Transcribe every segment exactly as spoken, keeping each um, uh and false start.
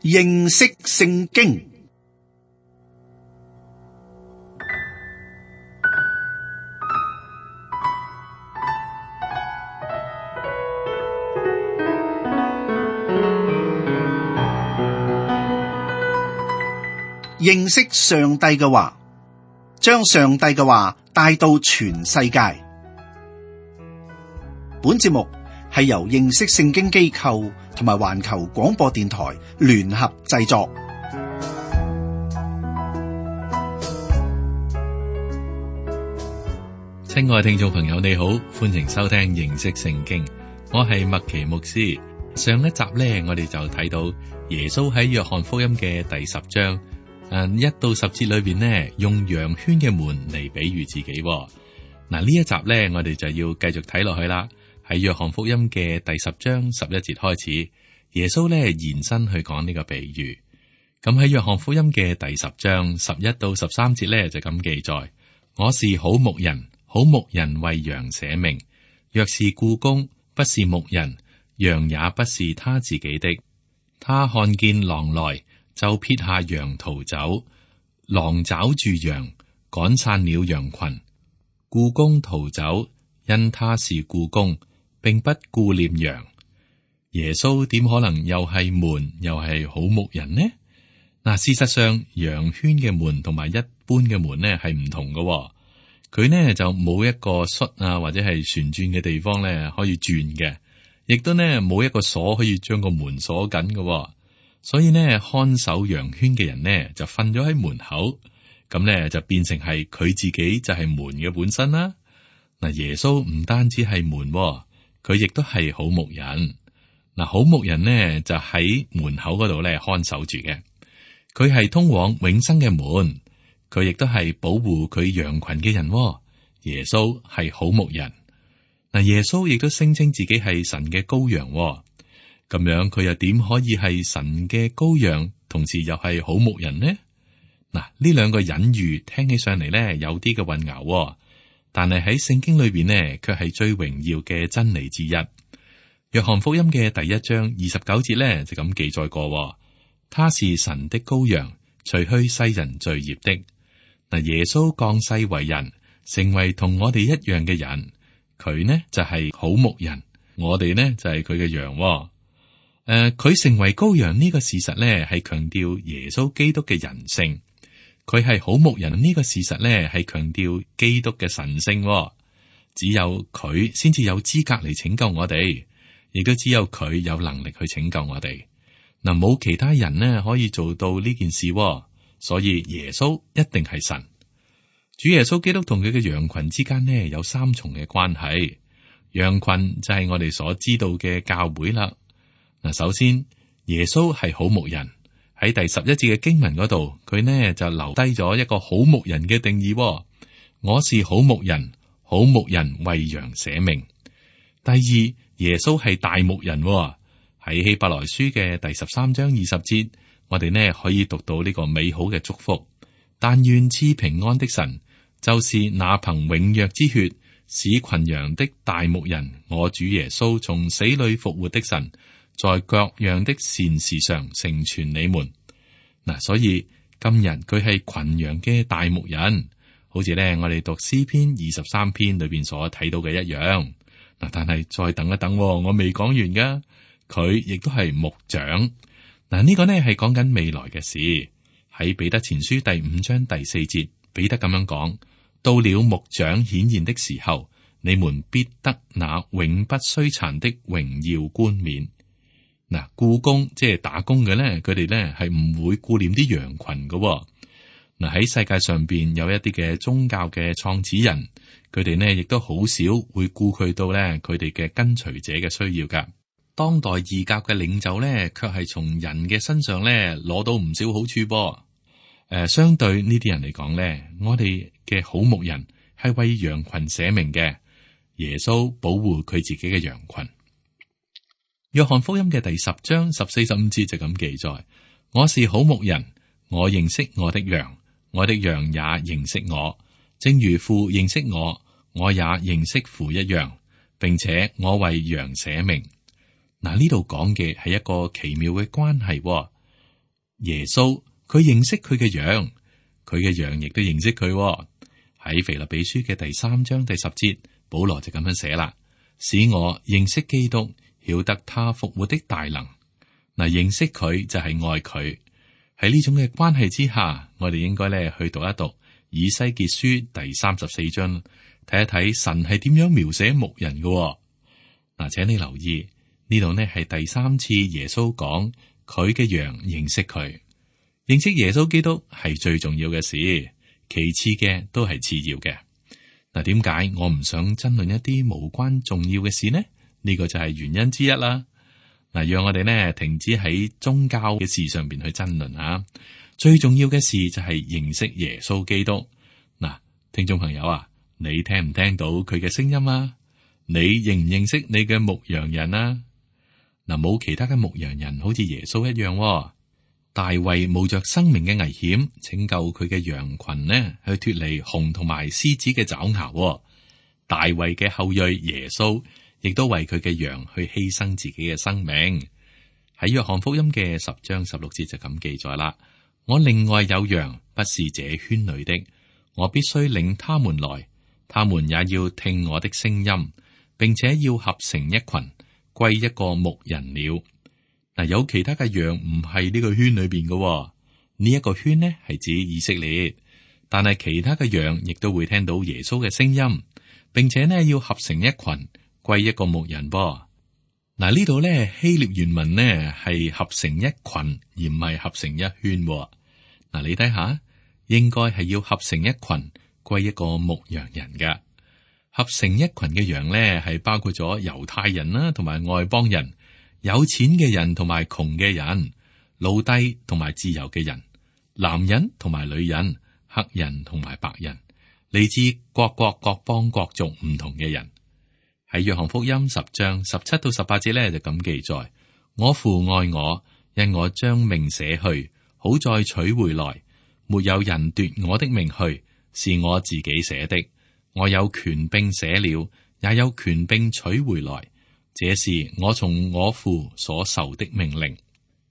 認識聖經。認識上帝嘅話，將上帝嘅話帶到全世界。本節目係由認識聖經機構同埋環球廣播電台聯合製作。親愛聽眾朋友，你好，歡迎收聽認識聖經。我係麥奇牧師。上一集呢，我哋就睇到耶穌喺約翰福音嘅第十章。誒，一到十節裏邊呢，用羊圈嘅門嚟比喻自己。嗱，呢一集呢，我哋就要繼續睇落去啦。喺約翰福音嘅第十章十一節開始，耶穌呢延伸去講呢個比喻。咁喺約翰福音嘅第十章十一到十三節呢，就咁記載：我是好牧人，好牧人為羊捨命。若是僱工，不是牧人，羊也不是他自己的。他看見狼來，就撇下羊逃走，狼抓住羊，趕散了羊群。僱工逃走，因他是僱工，並不顧念羊。耶穌點可能又係門又係好牧人呢？嗱，事實上羊圈嘅門同埋一般嘅門呢係唔同嘅。佢呢就冇一個栓啊或者係旋轉嘅地方呢可以轉嘅，亦都呢冇一個鎖可以將個門鎖緊嘅。所以呢，看守羊圈嘅人呢就瞓咗喺門口，咁呢就變成係佢自己就係門嘅本身啦。嗱，耶穌唔單止係門，佢亦都係好牧人。嗱，好牧人呢就喺門口嗰度咧看守住嘅，佢係通往永生嘅門，佢亦都係保護佢羊群嘅人。耶穌係好牧人。嗱，耶穌亦都聲稱自己係神嘅羔羊。咁樣佢又點可以係神嘅羔羊，同時又係好牧人呢？嗱，呢兩個隱喻聽起上嚟咧有啲嘅混淆，但係喺聖經裏邊呢，卻係最榮耀嘅真理之一。約翰福音嘅第一章二十九節咧就咁記載過：他是神的羔羊，除去世人罪孽的。嗱，耶穌降世為人，成為同我哋一樣嘅人，佢呢就係好牧人，我哋呢就係佢嘅羊。誒，佢、呃、成為羔羊呢個事實咧，係強調耶穌基督嘅人性；佢係好牧人呢個事實咧，係強調基督嘅神性、哦。只有佢先至有資格嚟拯救我哋，亦都只有佢有能力去拯救我哋。嗱，冇其他人呢可以做到呢件事、哦，所以耶穌一定係神。主耶穌基督同佢嘅羊群之間呢有三重嘅關係。羊群就係我哋所知道嘅教會啦。嗱，首先耶穌係好牧人，喺第十一節嘅經文嗰度，佢呢就留低咗一個好牧人嘅定義、哦。我是好牧人，好牧人為羊捨命。第二，耶穌係大牧人、哦，喺希伯來書嘅第十三章二十節，我哋呢可以讀到呢個美好嘅祝福。但願賜平安的神，就是那憑永約之血使群羊的大牧人，我主耶穌從死裏復活的神，在各樣的善事上成全你們。嗱，所以今日佢係群羊嘅大牧人，好似咧我哋讀詩篇二十三篇裏邊所睇到嘅一樣。嗱，但係再等一等，我未講完噶，佢亦都係牧長。嗱，呢個呢係講緊未來嘅事。喺彼得前書第五章第四節，彼得咁樣講：到了牧長顯現的時候，你們必得那永不衰殘的榮耀冠冕。嗱，僱工即係打工嘅咧，佢哋咧係唔會顧念啲羊群嘅。嗱，喺世界上邊有一啲嘅宗教嘅創始人，佢哋呢亦都好少會顧佢到咧佢哋嘅跟隨者嘅需要噶。當代異教嘅領袖咧，卻係從人嘅身上咧攞到唔少好處噃。誒、呃，相對呢啲人嚟講咧，我哋嘅好牧人係為羊群捨命嘅，耶穌保護佢自己嘅羊群。約翰福音嘅第十章十四十五節就咁記載：我是好牧人，我認識我的羊，我的羊也認識我，正如父認識我，我也認識父一樣，並且我為羊捨命。嗱，呢度講嘅係一個奇妙嘅關係、哦。耶穌佢認識佢嘅羊，佢嘅羊亦都認識佢喎。喺腓立比書嘅第三章第十節，保羅就咁樣寫啦：使我認識基督，曉得他復活的大能。嗱，認識佢就係愛佢。喺呢種嘅關係之下，我哋應該咧去讀一讀以西結書第三十四章，睇一睇神係點樣描寫牧人嘅喎。嗱，請你留意呢度呢係第三次耶穌講佢嘅羊認識佢，認識耶穌基督係最重要嘅事，其次嘅都係次要嘅。嗱，點解我唔想爭論一啲無關重要嘅事呢？呢個就係原因之一啦。嗱，讓我哋呢停止喺宗教嘅事上邊去爭論啊！最重要嘅事就係認識耶穌基督。嗱，聽眾朋友啊，你聽唔聽到佢嘅聲音啊？你認唔認識你嘅牧羊人啊？嗱，冇其他嘅牧羊人好似耶穌一樣喎。大衛冒着生命嘅危險拯救佢嘅羊群呢，去脫離熊同埋獅子嘅爪牙喎。大衛嘅後裔耶穌亦都為佢嘅羊去犧牲自己嘅生命。喺約翰福音嘅十章十六節就咁記載啦：我另外有羊，不是這圈裏的，我必須領他們來，他們也要聽我的聲音，並且要合成一群，歸一個牧人了。嗱，有其他嘅羊唔係呢個圈裏邊嘅，呢一個圈呢係指以色列，但係其他嘅羊亦都會聽到耶穌嘅聲音，並且呢要合成一群，歸一個牧人噃。嗱，呢度咧希臘原文呢係合成一群，而唔係合成一圈。嗱，你睇下，應該係要合成一群，歸一個牧羊人噶。合成一群嘅羊咧係包括咗猶太人啦，同埋外邦人。有錢嘅人同埋窮嘅人，奴隸同埋自由嘅人，男人同埋女人，黑人同埋白人，嚟自各國各邦各族唔同嘅人。喺約翰福音十章十七到十八節咧就咁記載：我父愛我，因我將命捨去，好再取回來。沒有人奪我的命去，是我自己捨的。我有權柄捨了，也有權柄取回來。這是我從我父所受的命令。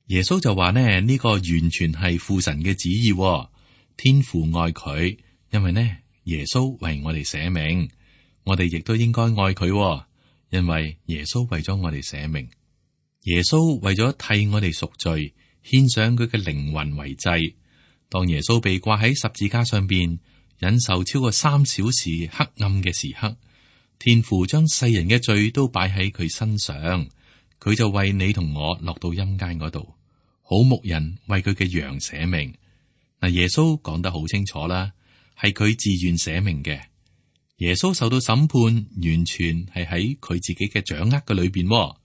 耶穌就話呢，呢個完全係父神嘅旨意。天父愛佢，因為呢耶穌為我哋捨命，我哋亦都應該愛佢，因為耶穌為咗我哋捨命。耶穌為咗替我哋贖罪，獻上佢嘅靈魂為祭。當耶穌被掛喺十字架上邊，忍受超過三小時黑暗嘅時刻，天父將世人嘅罪都擺喺佢身上，佢就為你同我落到陰間嗰度，好牧人為佢嘅羊捨命。嗱，耶穌講得好清楚啦，係佢自願捨命嘅。耶穌受到審判，完全係喺佢自己嘅掌握嘅裏邊。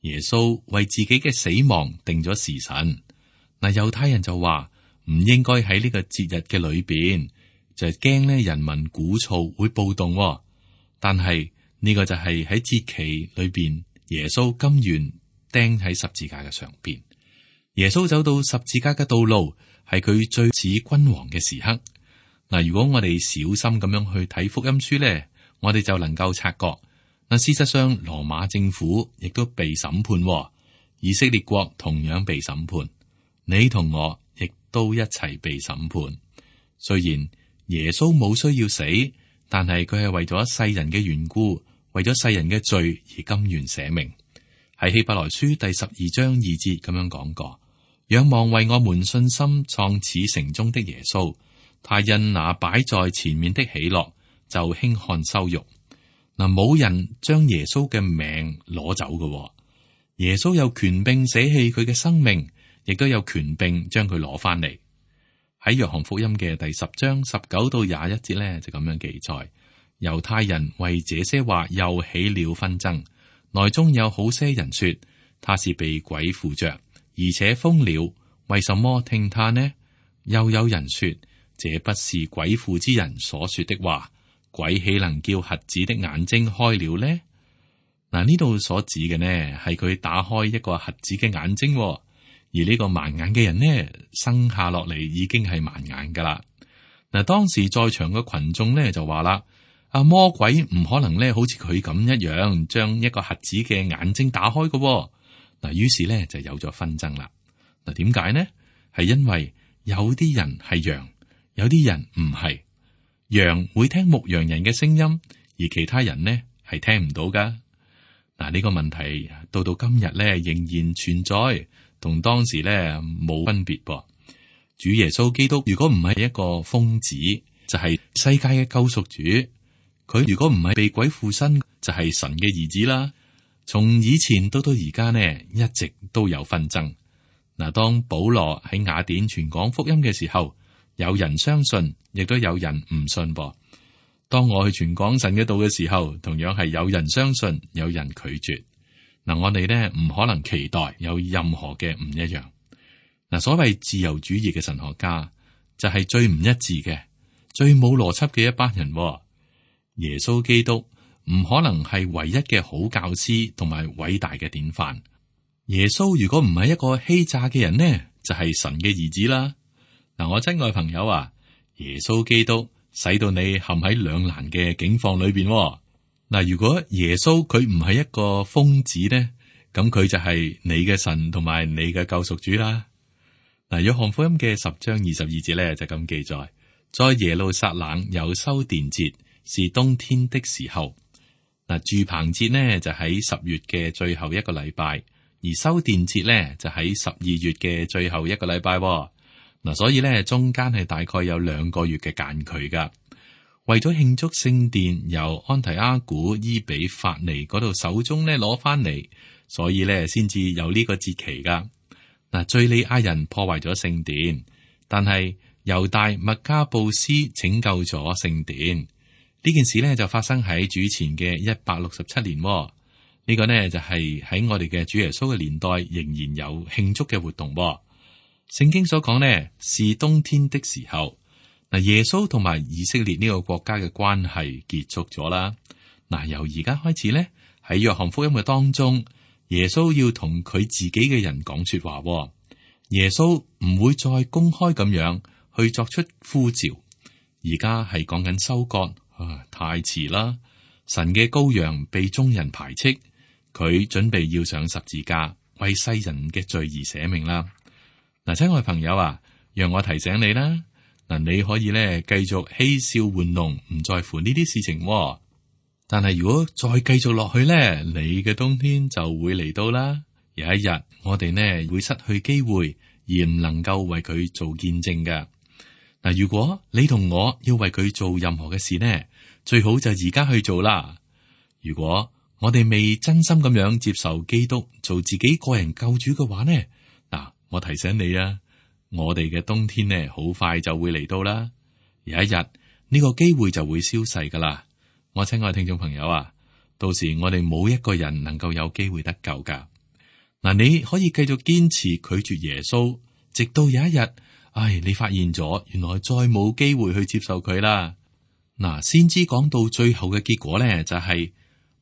耶穌為自己嘅死亡定咗時辰。嗱，猶太人就話唔應該喺呢個節日嘅裏邊，就係驚咧人民鼓噪會暴動。但係呢、這個就係喺節期裏邊，耶穌甘願釘喺十字架嘅上邊。耶穌走到十字架嘅道路，係佢最似君王嘅時刻。嗱，如果我哋小心咁樣去睇福音書咧，我哋就能夠察覺。嗱，事實上羅馬政府亦都被審判，以色列國同樣被審判，你同我亦都一齊被審判。雖然耶穌冇需要死，但係佢係為咗世人嘅緣故，為咗世人嘅罪而甘願捨命。喺希伯來書第十二章二節咁樣講過：仰望為我們信心創始成終的耶穌，他因那擺在前面的喜樂，就輕看羞辱。嗱，冇人將耶穌嘅命攞走嘅，耶穌有權柄捨棄佢嘅生命，亦都有權柄將佢攞翻嚟。喺約翰福音嘅第十章十九到廿一節咧，就咁樣記載：猶太人為這些話又起了紛爭，內中有好些人說他是被鬼附着，而且瘋了，為什麼聽他呢？又有人說這不是鬼附之人所說的話，鬼豈能叫瞎子的眼睛開了呢？嗱，呢度所指嘅呢係佢打開一個瞎子嘅眼睛。而呢個盲眼嘅人呢，生下落嚟已經係盲眼噶啦。嗱，當時在場嘅群眾呢就話啦：啊，魔鬼唔可能咧，好似佢咁一樣，將一個瞎子嘅眼睛打開嘅。嗱，於是咧就有咗紛爭啦。嗱，點解呢？係因為有啲人係羊，有啲人唔係。羊會聽牧羊人嘅聲音，而其他人呢係聽唔到噶。嗱，呢個問題到到今日咧仍然存在，同當時咧冇分別噃。主耶穌基督如果唔係一個瘋子，就係世界嘅救贖主；佢如果唔係被鬼附身，就係神嘅兒子啦。從以前到到而家呢，一直都有紛爭。嗱，當保羅喺雅典傳講福音嘅時候，有人相信，亦都有人唔信噃。當我去傳講神嘅道嘅時候，同樣係有人相信，有人拒絕。嗱，我哋呢唔可能期待有任何嘅唔一樣。嗱，所謂自由主義嘅神學家就係最唔一致嘅、最冇邏輯嘅一班人。耶穌基督唔可能係唯一嘅好教師同埋偉大嘅典範。耶穌如果唔係一個欺詐嘅人呢，就係神嘅兒子啦。嗱，我親愛朋友啊，耶穌基督使到你陷喺兩難嘅境況裏邊。嗱，如果耶穌佢唔係一個瘋子呢，咁佢就係你嘅神同埋你嘅救贖主啦。嗱，約翰福音嘅十章二十二節咧就咁記載，在耶路撒冷有修殿節，是冬天的時候。嗱，住棚節呢就喺十月嘅最後一個禮拜，而修殿節呢就喺十二月嘅最後一個禮拜。嗱，所以咧中間係大概有兩個月嘅間距噶。為咗慶祝聖殿由安提阿古伊比法尼嗰度手中咧攞翻嚟，所以咧先至有呢個節期噶。嗱，敘利亞人破壞咗聖殿，但係猶大麥加布斯拯救咗聖殿。呢件事咧就發生喺主前嘅一百六十七年。呢、這個呢就係喺我哋嘅主耶穌嘅年代仍然有慶祝嘅活動。聖經所講呢是冬天的時候。嗱，耶穌同埋以色列呢個國家嘅關係結束咗啦。嗱，由而家開始呢，喺約翰福音嘅當中，耶穌要同佢自己嘅人講說話。耶穌唔會再公開咁樣去作出呼召。而家係講緊收割，啊，太遲啦！神嘅羔羊被眾人排斥，佢準備要上十字架，為世人嘅罪而捨命啦。嗱，親愛朋友啊，讓我提醒你啦。嗱，你可以咧繼續嬉笑玩弄，唔在乎呢啲事情。但係如果再繼續落去咧，你嘅冬天就會嚟到啦。有一日，我哋呢會失去機會，而唔能夠為佢做見證嘅。嗱，如果你同我要為佢做任何嘅事呢，最好就而家去做啦。如果我哋未真心咁樣接受基督做自己個人救主嘅話呢，嗱，我提醒你啊。我哋嘅冬天呢，好快就會嚟到啦。有一日呢個機會就會消逝噶啦。我親愛聽眾朋友啊，到時我哋冇一個人能夠有機會得救噶。嗱，你可以繼續堅持拒絕耶穌，直到有一日，唉，你發現咗原來再冇機會去接受佢啦。嗱，先知講到最後嘅結果呢，就係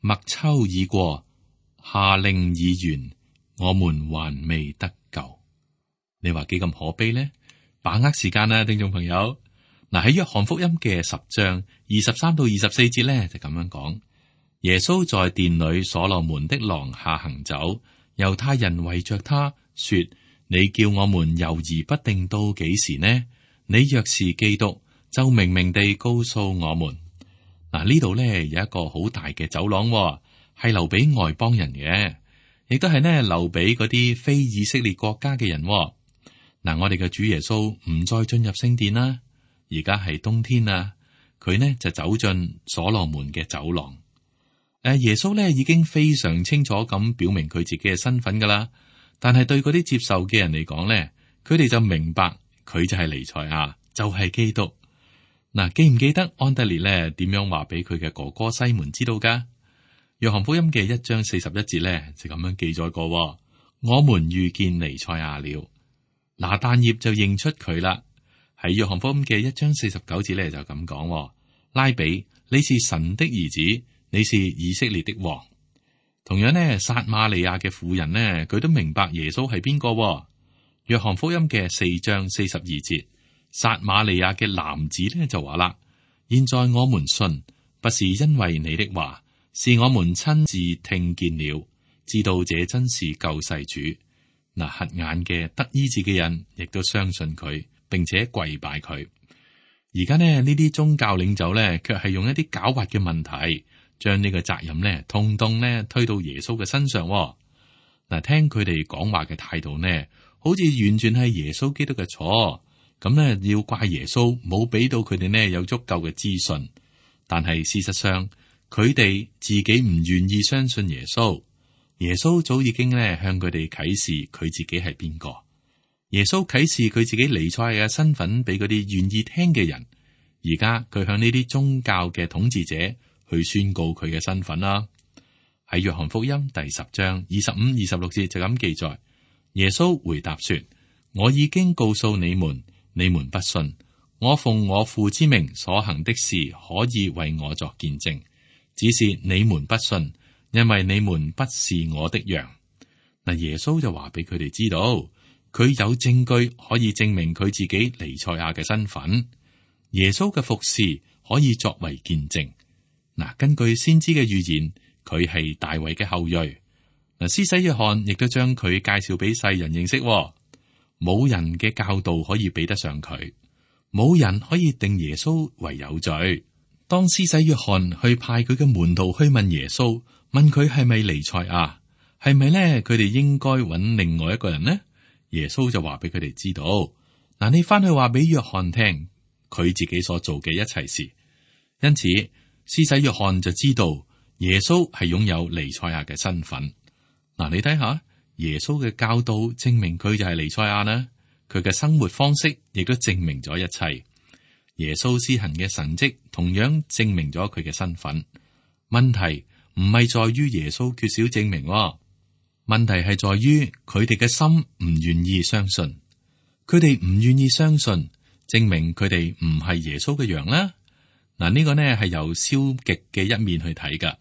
麥秋已過，夏令已完，我們還未得救。你話幾咁可悲呢？把握時間啊，聽眾朋友。嗱，喺約翰福音嘅十章二十三到二十四節咧，就咁樣講：耶穌在殿裏所羅門的廊下行走，猶太人圍着他說：你叫我們猶豫不定到幾時呢？你若是基督，就明明地告訴我們。嗱，呢度咧有一個好大嘅走廊，係留俾外邦人嘅，亦都係呢留俾嗰啲非以色列國家嘅人。嗱，我哋嘅主耶穌唔再進入聖殿啦，而家係冬天啦，佢呢就走進所羅門嘅走廊。誒，耶穌呢已經非常清楚咁表明佢自己嘅身份噶啦，但係對嗰啲接受嘅人嚟講呢，佢哋就明白佢就係彌賽亞，就係基督。嗱，記唔記得安德烈呢點樣話俾佢嘅哥哥西門知道噶？約翰福音嘅一章四十一節呢就咁樣記載過：我們遇見彌賽亞了。拿但業就認出佢啦。喺約翰福音嘅一章四十九節咧就咁講：拉比，你是神的兒子，你是以色列的王。同樣呢，撒瑪利亞嘅婦人呢，佢都明白耶穌係邊個。約翰福音嘅四章四十二節，撒瑪利亞嘅男子呢就話啦：現在我們信，不是因為你的話，是我們親自聽見了，知道這真是救世主。嗱，瞎眼嘅得醫治嘅人，亦都相信佢，並且跪拜佢。而家呢，呢啲宗教領袖咧，卻係用一啲狡猾嘅問題，將呢個責任咧，通通咧推到耶穌嘅身上。嗱，聽佢哋講話嘅態度呢，好似完全係耶穌基督嘅錯。咁呢，要怪耶穌冇俾到佢哋呢有足夠嘅資訊。但係事實上，佢哋自己唔願意相信耶穌。耶穌早已經咧向佢哋啟示佢自己係邊個。耶穌啟示佢自己彌賽亞嘅身份俾嗰啲願意聽嘅人。而家佢向呢啲宗教嘅統治者去宣告佢嘅身份啦。喺約翰福音第十章二十五、二十六節就咁記載。耶穌回答說：我已經告訴你們，你們不信。我奉我父之名所行的事，可以為我作見證，只是你們不信。因為你們不是我的羊。嗱，耶穌就話俾佢哋知道，佢有證據可以證明佢自己彌賽亞嘅身份。耶穌嘅服侍可以作為見證。嗱，根據先知嘅預言，佢係大衛嘅後裔。嗱，施洗約翰亦都將佢介紹俾世人認識。冇人嘅教導可以比得上佢，冇人可以定耶穌為有罪。當施洗約翰去派佢嘅門徒去問耶穌，問佢係咪彌賽亞，係咪咧？佢哋應該揾另外一個人呢？耶穌就話俾佢哋知道，嗱，你翻去話俾約翰聽，佢自己所做嘅一切事。因此，施洗約翰就知道耶穌係擁有彌賽亞嘅身份。嗱，你睇下耶穌嘅教導證明佢就係彌賽亞啦，佢嘅生活方式亦都證明咗一切。耶穌施行嘅神蹟同樣證明咗佢嘅身份。問題唔係在於耶穌缺少證明，問題係在於佢哋嘅心唔願意相信。佢哋唔願意相信，證明佢哋唔係耶穌嘅羊啦。嗱，呢個呢係由消極嘅一面去睇噶。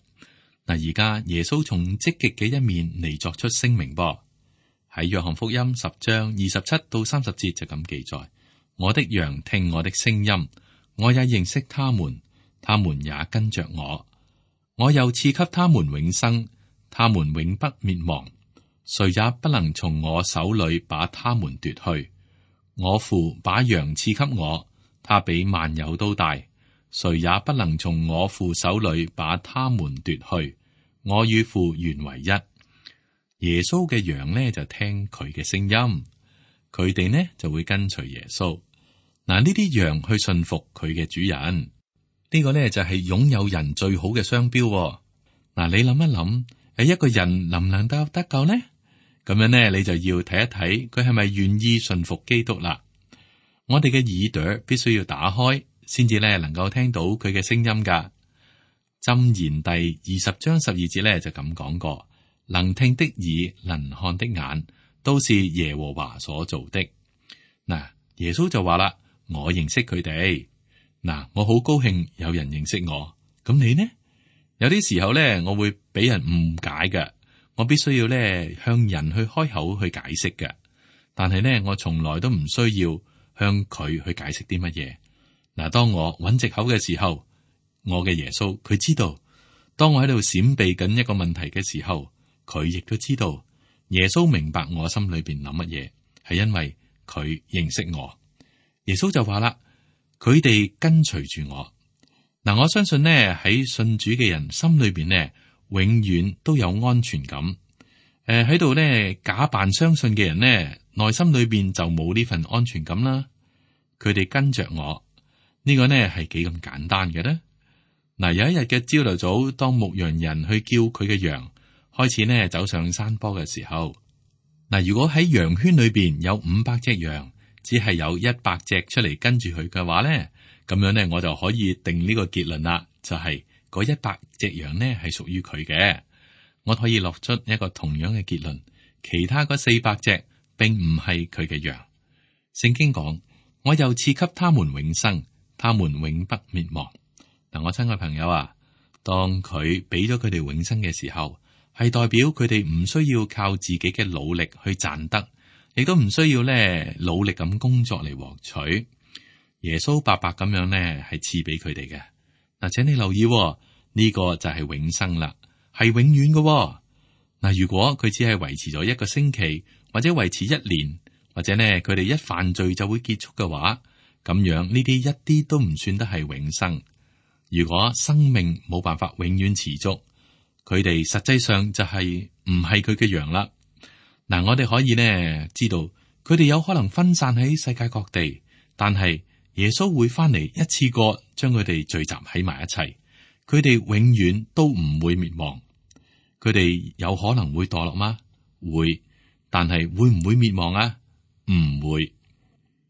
嗱，而家耶穌從積極嘅一面嚟作出聲明噃。喺約翰福音十章二十七到三十節就咁記載：我的羊聽我的聲音，我也認識他們，他們也跟着我。我又賜給他們永生，他們永不滅亡，誰也不能從我手裏把他們奪去。我父把羊賜給我，他比萬有都大，誰也不能從我父手裏把他們奪去。我與父原為一。耶穌嘅羊呢就聽佢嘅聲音，佢哋呢就會跟隨耶穌。嗱，呢啲羊去信服佢嘅主人。呢個呢就係擁有人最好嘅商標。嗱，你諗一諗，誒，一個人能唔能夠得救呢？咁樣呢，你就要睇一睇佢係咪願意信服基督啦。我哋嘅耳朵必須要打開，先至咧能夠聽到佢嘅聲音噶。箴言第二十章十二節咧就咁講過：能聽的耳，能看的眼，都是耶和華所做的。嗱，耶穌就話啦：我認識佢哋。嗱，我好高興有人認識我，咁你呢？有啲時候咧，我會俾人誤解嘅，我必須要咧向人去開口去解釋嘅。但係咧，我從來都唔需要向佢去解釋啲乜嘢。嗱，當我揾藉口嘅時候，我嘅耶穌佢知道；當我喺度閃避緊一個問題嘅時候，佢亦都知道。耶穌明白我心裏邊諗乜嘢，係因為佢認識我。耶穌就話啦。佢哋跟隨住我，嗱，我相信呢喺信主嘅人心裏邊呢，永遠都有安全感。誒、呃，喺度呢假扮相信嘅人呢，內心裏邊就冇呢份安全感啦。佢哋跟着我，呢、這個呢係幾咁簡單嘅呢？嗱，有一日嘅朝頭早，當牧羊人去叫佢嘅羊開始呢走上山坡嘅時候，嗱，如果喺羊圈裏邊有五百隻羊。只係有一百隻出嚟跟住佢嘅話咧，咁樣咧我就可以定呢個結論啦，就係嗰一百隻羊呢係屬於佢嘅。我可以落出一個同樣嘅結論，其他嗰四百隻並唔係佢嘅羊。聖經講，我又賜給他們永生，他們永不滅亡。嗱，我親愛朋友啊，當佢俾咗佢哋永生嘅時候，係代表佢哋唔需要靠自己嘅努力去賺得。亦都唔需要咧努力咁工作嚟獲取，耶穌白白咁樣咧係賜俾佢哋嘅。嗱，請你留意喎，呢個就係永生啦，係永遠嘅喎。嗱，如果佢只係維持咗一個星期或者維持一年，或者呢佢哋一犯罪就會結束嘅話，咁樣呢啲一啲都唔算得係永生。如果生命冇辦法永遠持續，佢哋實際上就係唔係佢嘅羊啦。嗱，我哋可以呢知道，佢哋有可能分散喺世界各地，但係耶穌會翻嚟一次過將佢哋聚集喺埋一齊，佢哋永遠都唔會滅亡。佢哋有可能會墮落嗎？會，但係會唔會滅亡啊？唔會。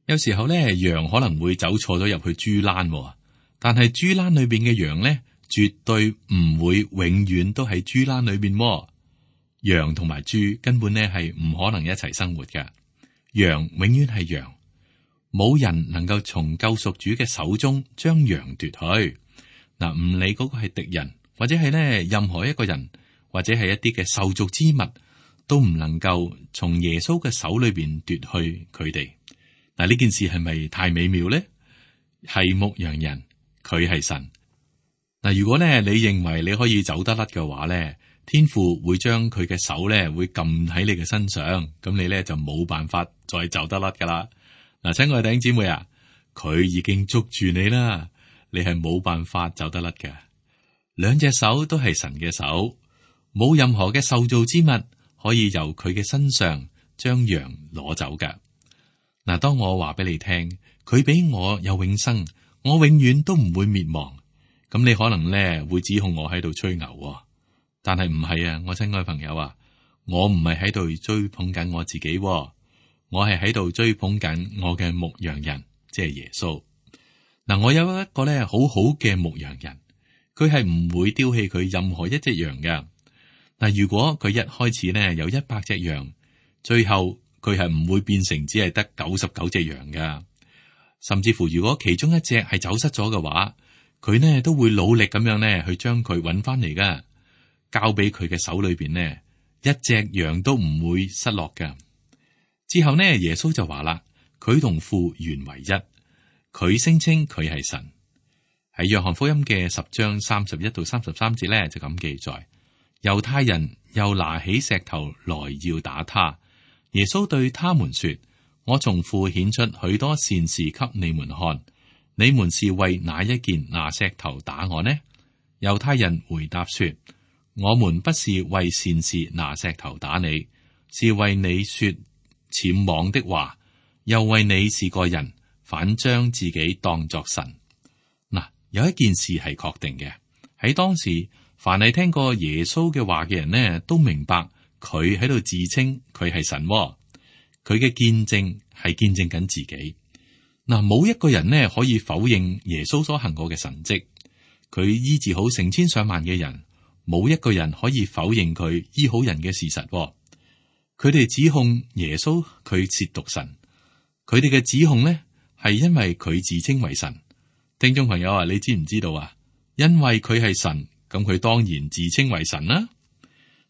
有時候咧，羊可能會走錯咗入去豬欄，但係豬欄裏邊嘅羊咧，絕對唔會永遠都喺豬欄裏邊。羊同埋豬根本咧係唔可能一齊生活嘅。羊永遠係羊，冇人能夠從救贖主嘅手中將羊奪去。嗱，唔理嗰個係敵人，或者係咧任何一個人，或者係一啲嘅受造之物，都唔能夠從耶穌嘅手裏邊奪去佢哋。嗱，呢件事係咪太美妙咧？係牧羊人，佢係神。嗱，如果咧你認為你可以走得甩嘅話咧，天父會將佢嘅手咧會撳喺你嘅身上，咁你咧就冇辦法再走得甩噶啦。嗱，親愛嘅弟兄姊妹啊，佢已經捉住你啦，你係冇辦法走得甩嘅。兩隻手都係神嘅手，冇任何嘅受造之物可以由佢嘅身上將羊攞走㗎。嗱，當我話俾你聽，佢俾我有永生，我永遠都唔會滅亡。咁你可能咧會指控我喺度吹牛，但係唔係啊，我親愛朋友啊，我唔係喺度追捧緊我自己，我係喺度追捧緊我嘅牧羊人，即係耶穌。嗱，我有一個咧好好嘅牧羊人，佢係唔會丟棄佢任何一隻羊嘅。嗱，如果佢一開始呢有一百隻羊，最後佢係唔會變成只係得九十九隻羊噶。甚至乎如果其中一隻係走失咗嘅話，佢呢都會努力咁樣呢去將佢揾翻嚟噶，交俾佢嘅手裏邊呢，一隻羊都唔會失落噶。之後呢，耶穌就話啦，佢同父原為一，佢聲稱佢係神。喺約翰福音嘅十章三十一到三十三節呢，就咁記載，猶太人又拿起石頭來要打他。耶穌對他們說，我從父顯出許多善事給你們看，你們是為哪一件拿石頭打我呢？猶太人回答說，我們不是為善事拿石頭打你，是為你說僭妄的話，又為你是個人，反將自己當作神。嗱，有一件事係確定嘅，喺當時，凡係聽過耶穌嘅話嘅人呢，都明白佢喺度自稱佢係神，佢嘅見證係見證緊自己。嗱，冇一個人呢可以否認耶穌所行過嘅神蹟，佢醫治好成千上萬嘅人，冇一個人可以否認佢醫好人嘅事實。佢哋指控耶穌佢褻瀆神，佢哋嘅指控呢係因為佢自稱為神。聽眾朋友啊，你知唔知道啊？因為佢係神，咁佢當然自稱為神啦。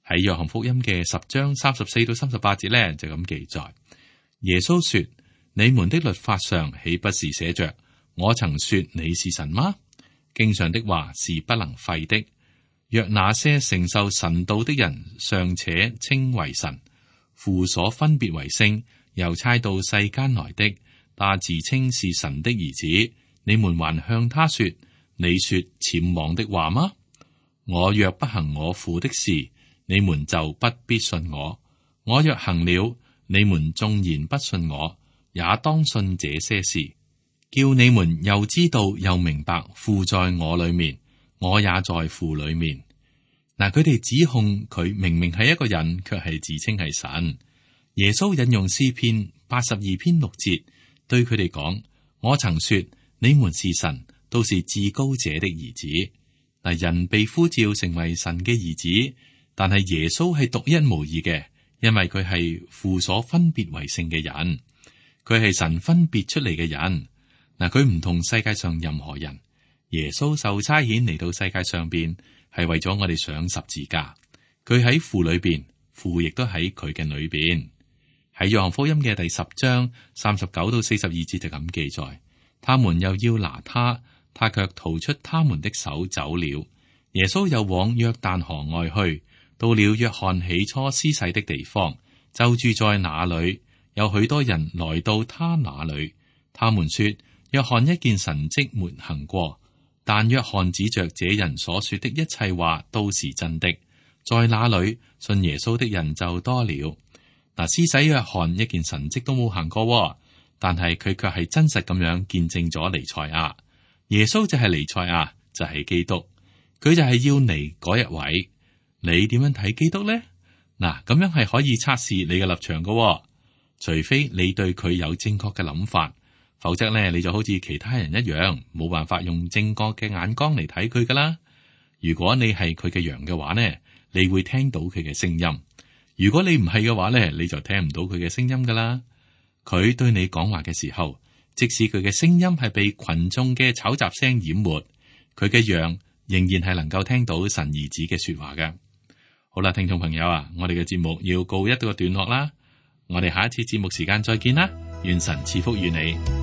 喺約翰福音嘅十章三十四到三十八節咧，就咁記載。耶穌說：你們的律法上豈不是寫着我曾說你是神嗎？經上的話是不能廢的。若那些承受神道的人尚且稱為神，父所分別為聖，又差到世間來的，他自稱是神的兒子，你們還向他說：你說僭妄的話嗎？我若不行我父的事，你們就不必信我；我若行了，你們縱然不信我，也當信這些事，叫你們又知道又明白父在我裏面，我也在父裏面。嗱，佢哋指控佢明明係一個人，卻係自稱係神。耶穌引用詩篇八十二篇六節，對佢哋講：我曾說你們是神，都是至高者的兒子。嗱，人被呼召成為神嘅兒子，但係耶穌係獨一無二嘅，因為佢係父所分別為聖嘅人，佢係神分別出嚟嘅人。嗱，佢唔同世界上任何人。耶穌受差遣嚟到世界上邊，係為咗我哋上十字架。佢喺父裏邊，父亦都喺佢嘅裏邊。喺約翰福音嘅第十章三十九到四十二節就咁記載，他們又要拿他，他卻逃出他們的手走了。耶穌又往約旦河外去，到了約翰起初施洗的地方，就住在那裏，有許多人來到他那裏。他們說，約翰一件神蹟沒行過，但約翰指着這人所說的一切話都是真的。在那裏信耶穌的人就多了。嗱，施洗約翰一件神蹟都冇行過，但係佢卻係真實咁樣見證咗彌賽亞。耶穌就係彌賽亞，就係基督，佢就係要嚟嗰一位。你點樣睇基督呢？嗱，咁樣係可以測試你嘅立場噶，除非你對佢有正確嘅諗法，否則咧你就好似其他人一樣，冇辦法用正確嘅眼光嚟睇佢噶啦。如果你係佢嘅羊嘅話呢，你會聽到佢嘅聲音；如果你唔係嘅話呢，你就聽唔到佢嘅聲音噶啦。佢對你講話嘅時候，即使佢嘅聲音係被群眾嘅吵雜聲淹沒，佢嘅羊仍然係能夠聽到神兒子嘅說話嘅。好啦，聽眾朋友啊，我哋嘅節目要告一個段落啦，我哋下一次節目時間再見啦，願神賜福於你。